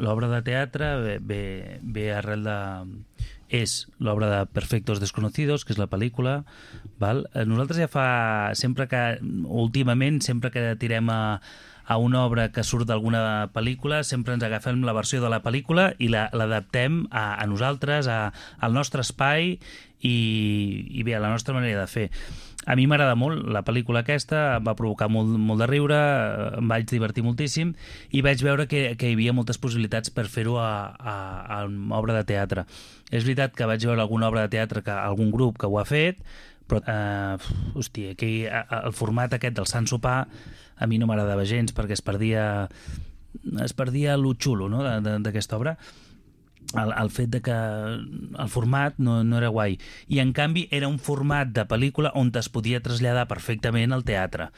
L'obra de teatre ve arrel de... És l'obra de Perfectos Desconocidos, que és la pel·lícula. Val? Nosaltres ja fa... Últimament, sempre que tirem a una obra que surt d'alguna pel·lícula, sempre ens agafem la versió de la pel·lícula i l'adaptem a nosaltres, al nostre espai i bé, a la nostra manera de fer. A mi m'agrada molt la pel·lícula aquesta, em va provocar molt de riure, em vaig divertir moltíssim i vaig veure que hi havia moltes possibilitats per fer-ho a una obra de teatre. És veritat que vaig veure alguna obra de teatre, algun grup que ho ha fet, però, hòstia, el format aquest del Sant Sopar a mi no m'agradava gens perquè es perdia lo xulo, no?, d'aquesta obra. El fet de que el format no era guai. I en canvi era un format de pel·lícula on es podia traslladar perfectament al teatre.